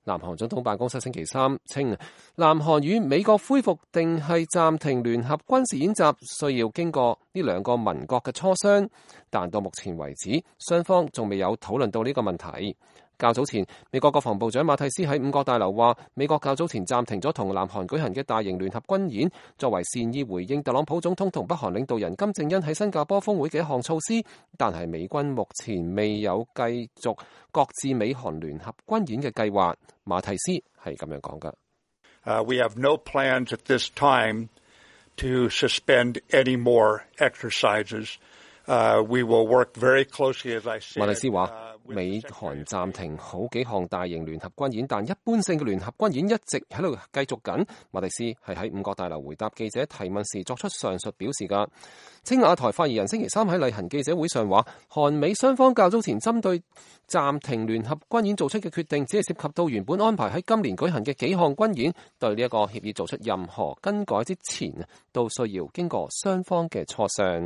南韓總統辦公室星期三稱，南韓與美國恢復定係暫停聯合軍事演習，需要經過呢兩個盟國嘅磋商，但到目前為止，雙方仲未有討論到呢個問題。較早前，美國國防部長馬蒂斯喺五角大樓話，美國較早前暫停咗同南韓舉行嘅大型聯合軍演，作為善意回應特朗普總統同北韓領導人金正恩喺新加坡峰會嘅一項措施。但係美軍目前未有繼續擱置美韓聯合軍演嘅計劃。馬蒂斯係咁樣講㗎。We have no plans at this time to suspend any more exercises. We will work very closely, as I said. 馬蒂斯話，美韓暫停好幾項大型聯合軍演，但一般性嘅聯合軍演一直喺度繼續緊。馬蒂斯係喺五角大樓回答記者提問時作出上述表示㗎。青瓦台發言人星期三喺例行記者會上話，韓美雙方較早前針對暫停聯合軍演做出嘅決定，只係涉及到原本安排喺今年舉行嘅幾項軍演，對呢一個協議做出任何更改之前，都需要經過雙方嘅磋商。